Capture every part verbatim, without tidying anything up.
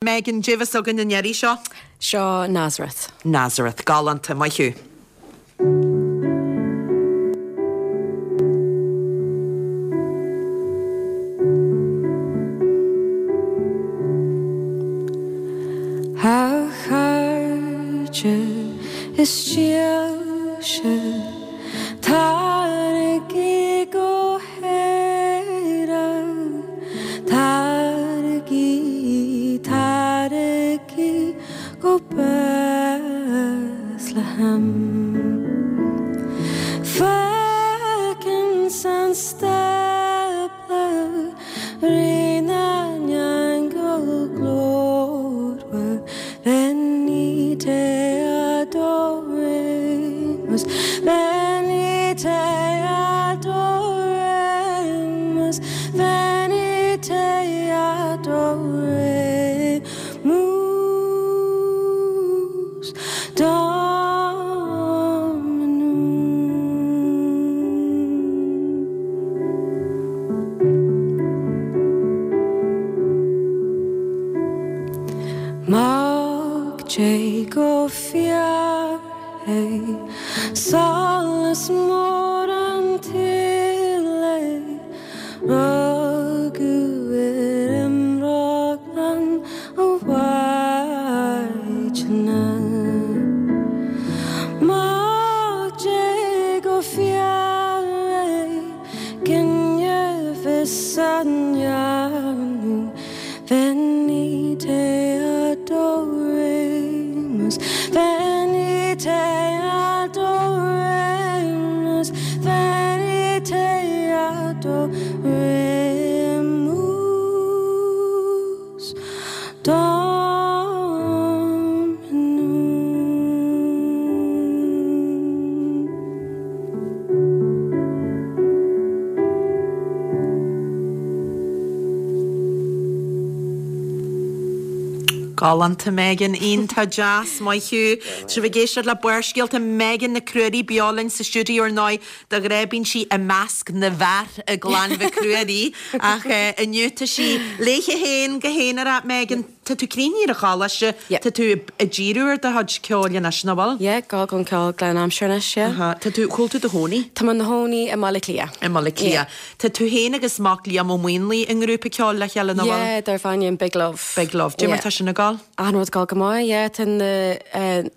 Megan, cad é a bheas againn an iarraidh seo? Seo Nazareth. Nazareth, galánta, maith thú. A chairde is dílse, Taraigí go hÉire, Taraigí, taraigí go Bethlehem. Féach ins an stábla Rí na n-aingeal glórmhar, Venite adoremus, Venite adoremus, Venite adoremus, Dominum. Mac Dé go fíor é, solas mór an tsaoil é, rugadh ar iomrá glan ó Mhaighdeana. Mac Dé go fíor é, gineadh fios an Venite adoremus, Venite adoremus, Venite adoremus, Dominum. Galánta Megan, iontach deas, maith thú. Tá sibh ag éisteacht le Barrscéalta Megan Nic Ruairí beo linn sa stiúideo ar ndóigh de ghnáth bíonn sí i measc na bhfear i gclann Mhic Ruairí ach inniu tá sí léi féin go haonarach Megan, tá tú críochnaithe ar an choláiste, tá tú ag díriú ar do chuid ceoil anois, nach bhfuil? Yeah, go gon ceol glan aimsir anois, yeah. Aha, Tá tú cá bhfuil tú i do chónaí? Tá mé i mo chónaí i mBaile Átha Cliath. I mBaile Átha Cliath. Tá tú féin agus mac Liam Ó Maonlaí i ngrúpa ceoil le chéile nach bhfuil? Yeah, darb ainm Big Love. Big Love. Cad é mar tá sin ag gabháil? An rud ag gabháil go maith, yeah, tá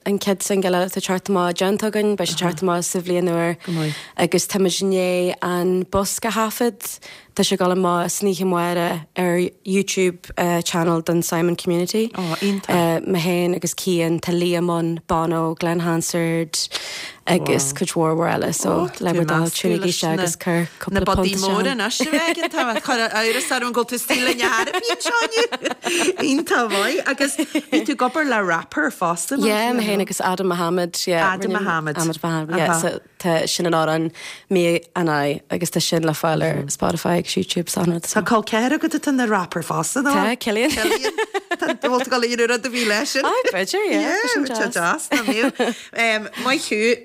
an chéad single eile ag teacht amach déanta againn, beidh sé ag teacht amach sa bhliain úr. Go maith. Agus táimid i ndiaidh an bosca a thaifead, tá sé ag dul amach san oíche amárach ar YouTube uh, channel don Simon Community. Ó, iontach. Uh, mé féin agus Cian, tá Liam ann, Bono, Glen Hansard agus cuid mhór mhór eile, so le bhur dtoil tiúnaigí sé agus cuir Na cúpla budaí punt móra isteach. anois a bheith tá chur amhras orm go bhfuil tú istigh linn thar seo Iontach maith agus bhí tú ag obair le rapper fosta mar Yeah, sin, mé féin agus Adam Mohammed, yeah. Adam rinne- Mohammed. Ahmed Mohammed, yeah, Aha. so tá sin an amhrán Me and I agus tá sin le fáil ar Spotify agus YouTube san rud. Tá col ceathrair agat atá ina rapper fosta ná? Tá, Cillian. Cillian. Tá bhfuil tú ag dul a dhéanamh rud a bhí leis sin. Ah, b'fhéidir, yeah, Yeah, sin tá deas. deas, ná míl. Maith thú